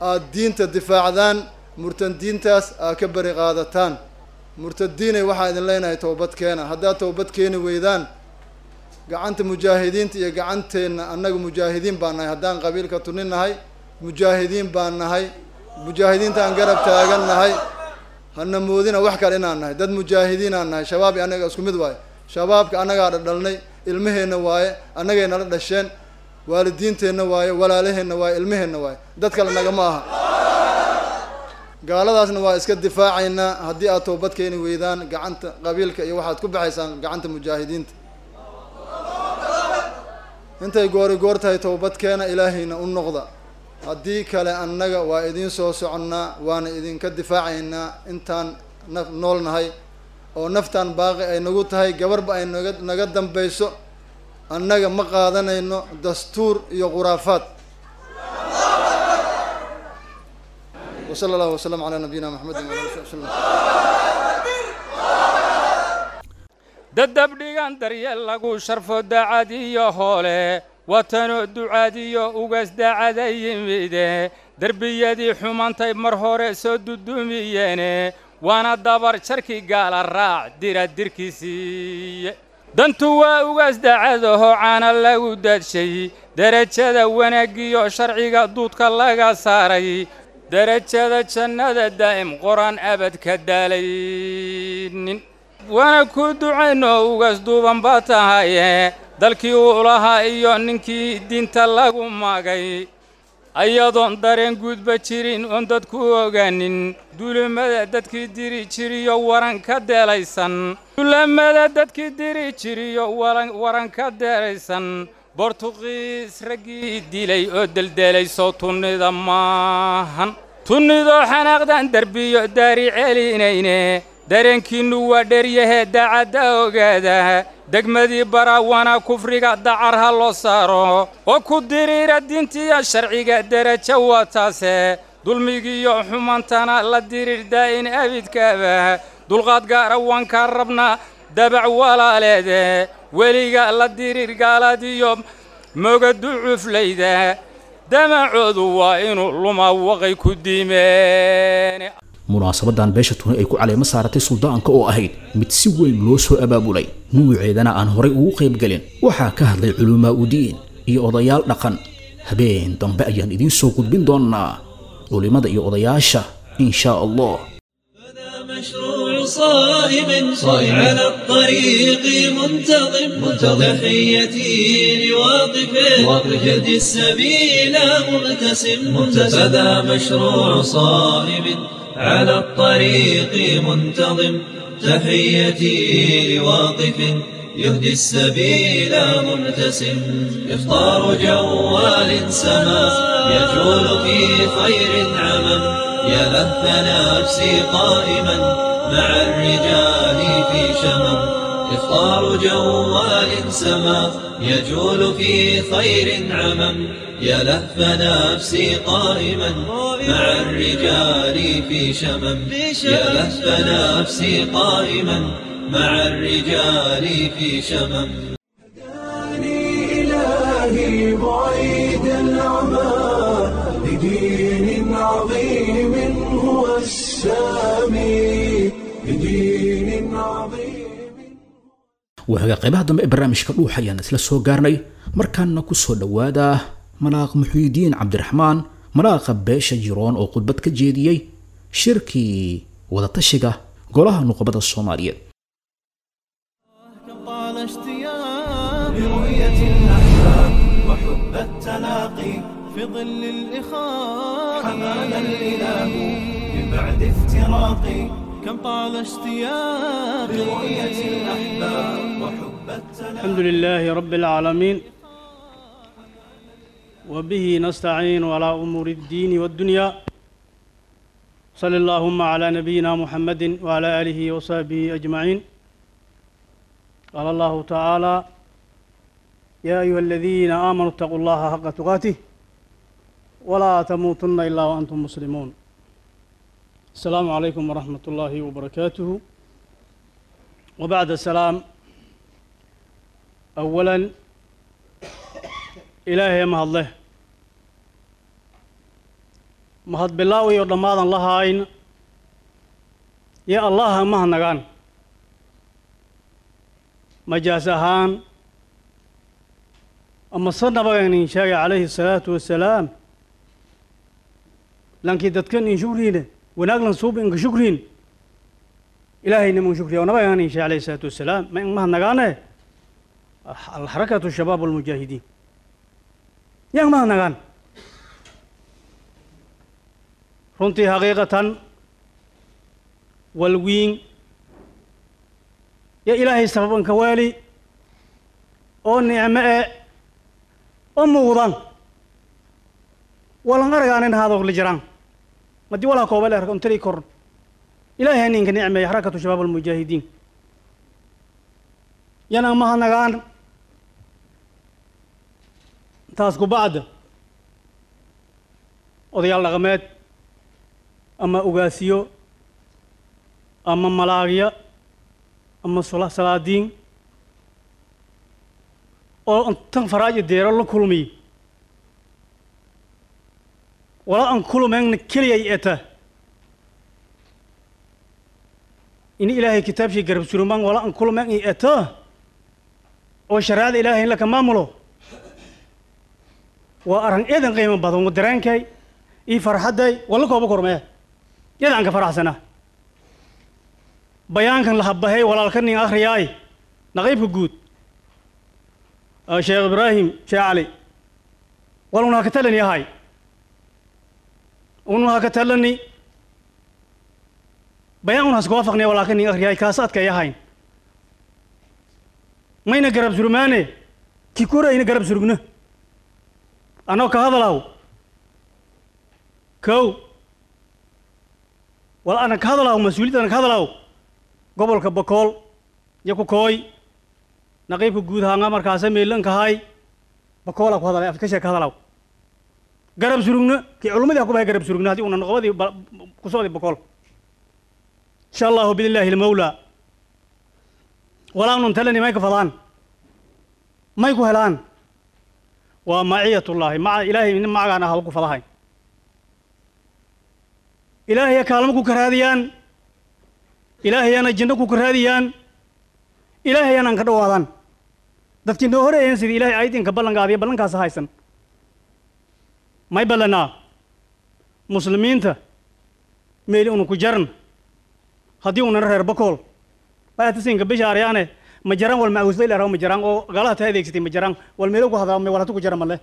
aad diinta difaacdaan, murtadiintaas aad ka beri qaadataan. Murtadiinay, waxaa idin leenahay towbad keena. Haddaad towbad keeni weydaan, gacanta mujaahidiinta iyo gacanteenna, annaga mujaahidiin baan nahay. Haddaan qabiilka Tunni nahay, mujaahidiin baan nahay, mujaahidiintaan garab taagan nahay. Hana moodina wax kale inaan nahay, dad mujaahidiinaan nahay. Shabaab iyo annaga isku mid waaye. Shabaabka annagaa dhadhalnay, ilmaheenna waaye, annagay nala dhasheen, waalidiinteenna waaye, walaalaheenna waaye, ilmaheenna waaye, dad kale nagama aha. Gaaladaasna waa iska difaacaynaa. Haddii aad toobad keeni weydaan, gacanta qabiilka iyo waxaad ku baxaysaan gacanta mujaahidiinta. Intay goori goor tahay towbad keena, Ilaahayna u noqda. Haddii kale annaga waa idiin soo soconnaa, waana idinka difaacaynaa intaan naf nool nahay oo naftaan baaqi ay nagu tahay, gabarba ay naga dambayso. Annaga ma qaadanayno dastuur iyo khuraafaad. Wa sala allahu wasalam calaa nabiyina Maxamedin wala ali slam. Dadab dhigan daryeel lagu sharfo dacad iyo hoole watanoo ducaadiyo ugaas daacada yimide derbiyadii xumantay mar hore soo dudumiyeene waana dabar jarkii gaala raac dira dirkiisiiye dantu waa ugaas daacadaho caana lagu daadshay derajada wanaaggiyo sharciga duudka laga saaray derajada jannada daa'im qoraan abad ka daalaynin waana ku ducayno ugaas duuban baa tahaye dalkii uu lahaa iyo ninkii diinta lagu maagay ayadoon dareen guudba jirin oon dadku ogaanin duulimada dadkii diri jiriyo waran ka deelaysan duulamada dadkii diri jiriyo waran ka deelaysan Bortuqiis raggii dilay oo deldelayso tunnida maahan tunnidoo xanaaqdan derbiyo daari celinayne dareenkiinnu waa dheryahee daacadda ogaada degmadii baraawana kufriga dacar ha loo saaro oo ku diriira diintiya sharciga derajo waa taase dulmigiiyo xumantana la diriir daa'in abidkaaba dulqaad gaara waan kaa rabnaa dabac walaaleede weliga la diriir gaaladiyo mogadu cuflayda damacoodu waa inuu lumaa waqay ku diimeen. Munaasabadan beesha Tuni ay ku caleemo saaratay suldaanka oo ahayd mid si weyn loo soo abaabulay nuuceedana aan horay ugu qayb gelin waxaa ka hadlay culumaa udiin iyo odayaal dhaqan. Habeen dambe ayaan idiin soo gudbin doonaa culimada iyo odayaasha in shaa Allah. مشروع صائب على الطريق منتظم تحيتي لواقف يهدي السبيل مبتسم فذا مشروع صائب على الطريق منتظم تحيتي لواقف يهدي السبيل مبتسم إفطار جوال سما يجول في خير عمم يا لهف نفسي قائما مع الرجال في شمم إفطار جوال سما يجول في خير عمم يا لهف نفسي قائما مع الرجال في شمم يا لهف نفسي قائما مع الرجال في شمم. إلهي بعيد العمى لدين عظيم هو السامي لدين عظيم. Waaga qaybaha dambe ee barnaamijka Dhuuxa ayaan isla soo gaarnay. Markaana ku soo dhowaada Malaaq Muxyidiin Cabdiraxmaan, malaaqa beesha Jiroon oo khudbad ka jeediyey shirkii wadatashiga golaha nuqbada Soomaaliyeed. طال اشتياق لرؤية الأحباب وحب التلاقي في ظل الإخاء حمانا الإله من بعد افتراقي كم طال اشتياق لرؤية الأحباب وحب التلاقي. الحمد لله رب العالمين وبه نستعين على أمور الدين والدنيا، صلى اللهم على نبينا محمد وعلى آله وصحبه أجمعين. قال الله تعالى: يا أيها الذين آمنوا اتقوا الله حق تقاته ولا تموتن إلا وأنتم مسلمون. السلام عليكم ورحمة الله وبركاته. وبعد السلام، أولا إلهي mahad leh, mahad bilaaw iyo dhammaadan lahayn ya Allaha mahadnagaan majaas ahaan ama se nabagan sheegay calayhi salaatu wasalaam lankii dadkan in shukriine wanaag lan suub inka shukriin ilaahayna mun shukriya oo nabagan in sheegay calayhi salaatu wasalaam ma in mahadnagaane alxarakatu shabaab walmujaahidiin yaan mahadnagaan runtii xaqiiqatan walwiin ya ilaahay sababanka waali oo nicmo e oo muuqdan walan argaanin haadoo la jiraan madii walaa kooba la arko intari kor ilaahay ninka nicmeeya xarakatu shabaab almujaahidiin yana mahadnagaan. Taas ku bacda odayaal dhaqameed ama ugaasiyo ama malaagya ama salaadiin Oo intan faraaji deero la kulmiy wala aan kulmayna keliyay eta in Ilaahay kitaabkii garab surumaan wala aan kulmayn eta oo shariicada Ilaahay in la ka maamulo waa arrin eedan qiimo badan oo dareenkay iyo farxadday wala kooba kormee eedan ka faraxsanaa bayaankan la habahay walaalka nin akhriyaay naqiibka guud Sheekh Ibraahim Sheekh Cali waluna ka talani yahay unu ka talani bayaan una isku waafaqnay walaalka nin akhriyaay kaas adka yahay mayna garab surmaane ki korayna garab surugna anoo ka hadalaw kow wal ana ka hadalaw mas'uuliyadda ana ka hadalaw gobolka Bakool iyo ku kooy naqiibka guud ahaan markaas meelanka hay Bakool ku hadalay afka sheeka hadalaw garab surugna ki culimadii ku bay garab surugna hadii una noqobadii ku soo Bakool insha Allah billahi al-mawla wala nun talani may ka fadaan may ku helaan waa maciyatullahi maca Ilaahay in macana hal ku fadahay Ilaahay kaalmo ku karaadiyaan Ilaahay ana jinno ku karaadiyaan Ilaahay ana ka dhawaadaan dadkii noo horeeyeen sidii Ilaahay aydinka ballan qaadiyo ballankaas haysan may ballanaa muslimiinta meel uu ku jaran hadii uu reer Bakool baa tusinka bishaaryaane ma jaran wal maawsay la raw ma jaran oo galaha ta adeegsatay ma jaran wal meel ku hadaa ma wala ku jaran male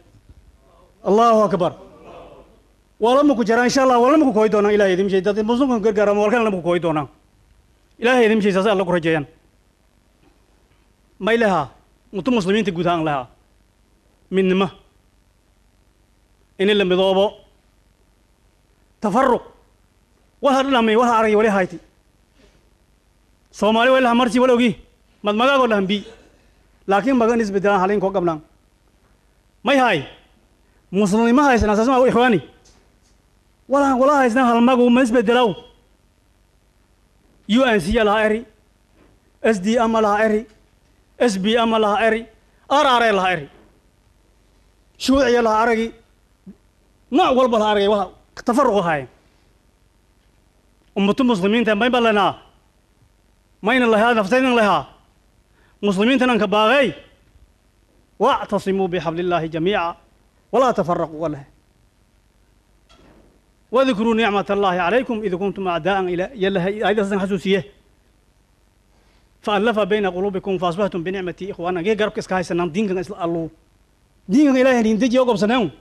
Allahu akbar wala ma ku jaran insha Allah wala ma ku kooy doonaan Ilaahay idin sheey dad muslimka gargaar ma walkan lama ku kooy doonaan Ilaahay idin sheey saas alla ku rajeeyaan may laha mutu muslimiinta guud ahaan laha midnimo in la midoobo tafarruq waxa dhamay waxa aragay wali hayti Soomaali wala marti wala ogi mad magaago lahanbi laakiin magan isbedelaan halin ko qabnaan may hay muslimiin haysan asaas ma ikhwaani wala haysan hal magu ma isbedelaw UNC la eri SDM la eri SBM la eri RR la eri shuuciya la aragi nooc walba la aragay waxa tafarruq hayn ummatu muslimiinta may balana mayna lahaa naftayna lahaa muslimiinta ka baaqay wa'tasimu bihablillahi jamii'a wala tafarraqu wala wadhkuru ni'matallahi alaykum idh kuntum a'daa'an ila yalla ayda san xasuusiye fa'alafa bayna qulubikum fa asbahtum bi ni'mati ikhwana ge garabka iska haysanaan diinkan isla allo diinkan Ilaahay in dejiyo gobsanaan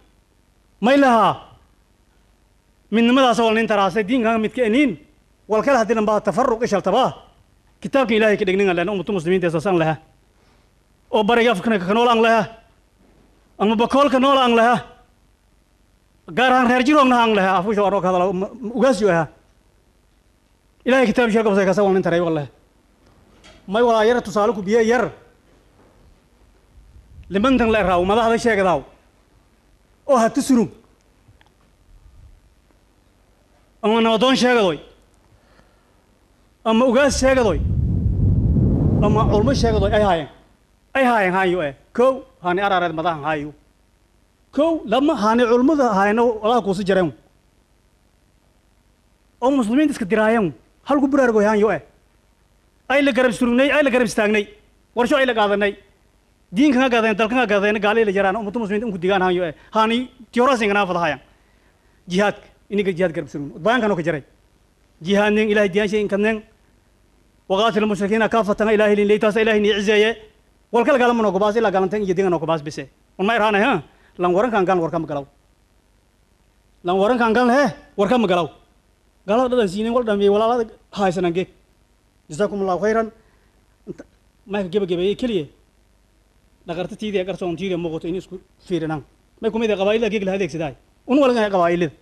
may laha midnimadaas oo nin taraasay diinkan midka inin wal kala hadii baa tafarruq ishal tabaa kitaabka Ilaahay ka dhignin lana ummadu muslimiinta asasan laha oo bariga Afrika ka nool aan laha ama Bakool ka nool aan laha gaar ahaan reer jiroogna aan laha afusho oo ka hadala ugaasiyo ah Ilaahay kitaabkiisa ka ka soo nin taray wallahi may wala yar tusaale ku biyo yar limantan la raaw madaxda sheegadaw oo ha tusuru ama nabadoon sheegadoy ama ugaas sheegadoy ama culmo sheegadoy ay haayeen hayo kow hani arareed madaxan hayo kow lama hani culmada hayno walaha ku soo jareen oo muslimiinta iska diraayeen halku buraargo hayo ay la garab surugnay ay la garab istaagnay warsho ay la qaadanay diinka ka gaadeen dalka ka gaadeen gaalay la jaraan ummadu muslimiinta ku digaan hayo hani tiyoraasingana fadahayaan jihaadka iniga jihaad garab surugno baankan oo ka jaray jihaadnin Ilaahay diyaashay in kadneen waqaatil mushrikiina kaafatan Ilaahay lin leeytaas Ilaahay ni cizeeye wal kala galamo no gobaas ila galantan iyo digan no gobaas bise on ma irana ha lan warankan gal warka ma galaw lan warankan gal he warka ma galaw galaw dhadan siinin wal dhameey walaalada haysanan geek jazakumullahu khayran ma ka gabagabeeyay kaliya dhaqarta tiidi qarsoon tiidi muuqato in isku fiirinaan may kumida qabaayilada geek la adeegsaday un walaga qabaayilada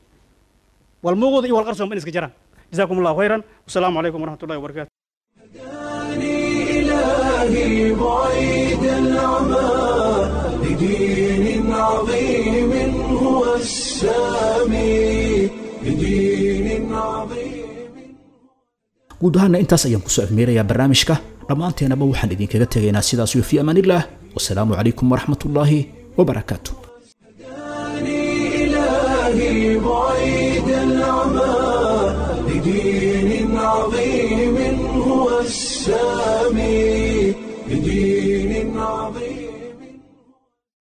wal muuqdo iyo wal qarsoon in iska jiraan جزاكم الله خيرا والسلام عليكم ورحمة الله وبركاته. إلهي بعيد العمى لدين عظيم هو السامي لدين عظيم. Guud ahaana intaas ayaan kusoo afmeerayaa barnaamijka. Dhammaanteenaba waxaan idinkaga tegaynaa sidaas iyo fi amaanillah. Wasalaamu calaykum waraxmatullaahi wabarakaatu. إلهي بعيد العمى لدين عظيم هو السامي، لدين عظيم.